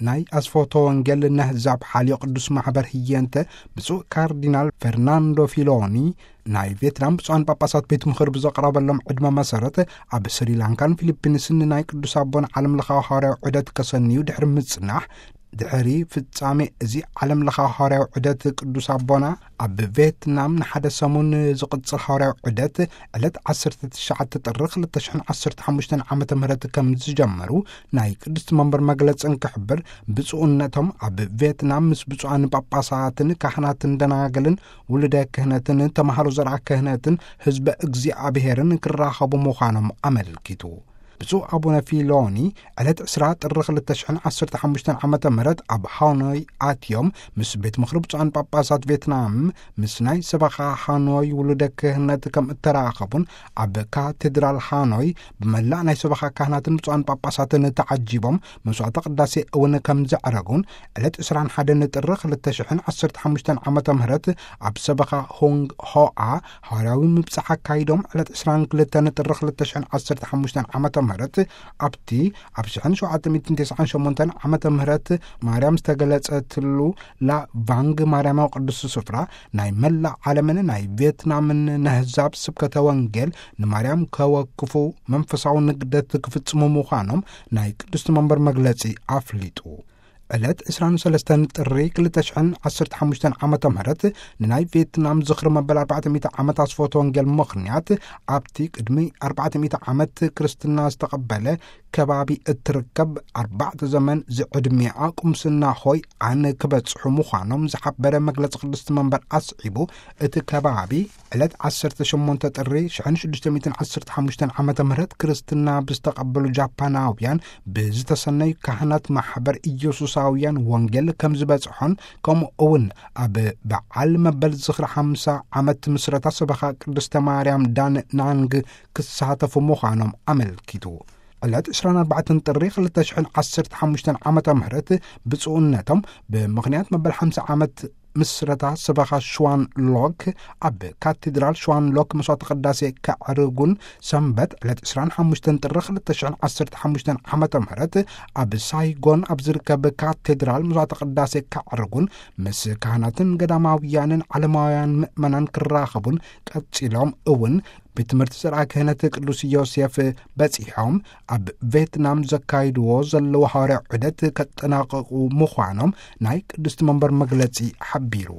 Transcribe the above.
ናይ ኣስፎቶ ወንጌል ነህዛብ ሓልዮ ቅዱስ ማሕበር ህየንተ ብፁዕ ካርዲናል ፈርናንዶ ፊሎኒ፣ ናይ ቬትናም ብፁዓን ጳጳሳት ቤት ምኽር ብዘቕረበሎም ዕድመ መሰረት፣ ኣብ ስሪላንካን ፊሊፒንስን ንናይ ቅዱስ ኣቦን ዓለም ለኻዊ ሃዋርያዊ ዑደት ከሰንዩ ድሕሪ ምጽናሕ፣ ድሕሪ ፍጻሜ እዚ ዓለም ለኻዊ ሃዋርያዊ ዑደት ቅዱስ ኣቦና ኣብ ቬትናም ንሓደ ሰሙን ዝቕጽል ሃዋርያዊ ዑደት ዕለት ዓሰርተ ትሽዓተ ጥሪ ክልተ ሽሕን ዓሰርተ ሓሙሽተን ዓመተ ምህረት ከም ዝጀመሩ ናይ ቅድስቲ መንበር መግለጺ እንክሕብር፣ ብፁዕነቶም ኣብ ቬትናም ምስ ብፁዓን ጳጳሳትን ካህናትን ደናግልን ውሉደ ክህነትን ተምሃሮ ዘርኣ ክህነትን ህዝበ እግዚኣብሔርን ክራኸቡ ምዃኖም ኣመልኪቱ። ብፁዕ ኣቡነ ፊሎኒ ዕለት ዕስራ ጥሪ ክልተ ሽሕን ዓሰርተ ሓሙሽተን ዓመተ ምህረት ኣብ ሃኖይ ኣትዮም ምስ ቤት ምኽሪ ብፁዓን ጳጳሳት ቬትናም፣ ምስ ናይ ሰበኻ ሃኖይ ውሉደ ክህነት ከም እተራኸቡን ኣብ ካቴድራል ሃኖይ ብመላእ ናይ ሰበኻ ካህናትን ብፁዓን ጳጳሳትን ተዓጂቦም መስዋዕተ ቅዳሴ እውን ከም ዘዕረጉን ዕለት ዕስራን ሓደን ጥሪ ክልተ ሽሕን ዓሰርተ ሓሙሽተን ዓመተ ምህረት ኣብ ሰበኻ ሆንግ ሆኣ ሃዋርያዊ ምብጻሕ ኣካይዶም ዕለት ዕስራን ክልተን ጥሪ ክልተ ሽሕን ዓሰርተ ሓሙሽተን ዓመተ ምህረት ኣብቲ ኣብ ሽሕን ሸውዓተ ሚእትን ተስዓን ሸሞንተን ዓመተ ምህረት ማርያም ዝተገለጸትሉ ላ ቫንግ ማርያማዊ ቅዱስ ስፍራ ናይ መላእ ዓለምን ናይ ቬትናምን ነህዛብ ስብከተ ወንጌል ንማርያም ከወክፉ መንፈሳዊ ንግደት ክፍጽሙ ምዃኖም ናይ ቅድስቲ መንበር መግለጺ ኣፍሊጡ። ዕለት ዕስራን ሰለስተን ጥሪ ክልተ ሽሕን ዓሰርተ ሓሙሽተን ዓመተ ምህረት ንናይ ቬትናም ዝኽሪ መበል ኣርባዕተ ሚእቲ ዓመት ኣስፎቶ ወንጌል ምኽንያት ኣብቲ ቅድሚ ኣርባዕተ ሚእቲ ዓመት ክርስትና ዝተቐበለ ከባቢ እትርከብ ኣርባዕተ ዘመን ዝዕድሚኣ ቁምስና ሆይ ኣን ክበጽሑ ምዃኖም ዝሓበረ መግለጺ ቅድስቲ መንበር ኣስዒቡ፣ እቲ ከባቢ ዕለት ዓሰርተ ሸሞንተ ጥሪ ሽሕን ሽዱሽተ ሚእትን ዓሰርተ ሓሙሽተን ዓመተ ምህረት ክርስትና ብዝተቐበሉ ጃፓናውያን ብዝተሰነዩ ካህናት ማሕበር ኢየሱሳውያን ወንጌል ከም ዝበጽሖን፣ ከምኡ እውን ኣብ በዓል መበል ዝኽሪ ሓምሳ ዓመት ምስረታ ሰበኻ ቅድስተ ማርያም ዳን ናንግ ክሳተፉ ምዃኖም ኣመልኪቱ። ዕለት ዕስራን ኣርባዕተን ጥሪ ክልተ ሽሕን ዓሰርተ ሓሙሽተን ዓመተ ምህረት ብፁዕነቶም ብምኽንያት መበል ሓምሳ ዓመት ምስረታ ሰበኻ ሽዋን ሎክ ኣብ ካቴድራል ሽዋን ሎክ መስዋዕተ ቅዳሴ ከዕርጉን፣ ሰንበት ዕለት ዕስራን ሓሙሽተን ጥሪ ክልተ ሽሕን ዓሰርተ ሓሙሽተን ዓመተ ምህረት ኣብ ሳይጎን ኣብ ዝርከብ ካቴድራል መስዋዕተ ቅዳሴ ከዕርጉን ምስ ካህናትን ገዳማውያንን ዓለማውያን ምእመናን ክራኸቡን፣ ቀጺሎም እውን ቤት ትምህርቲ ዘርኣ ክህነት ቅዱስ ዮሴፍ በጺሖም ኣብ ቬትናም ዘካይድዎ ዘለዉ ሃዋርያዊ ዑደት ከጠናቐቑ ምዃኖም ናይ ቅድስቲ መንበር መግለጺ ሓቢሩ።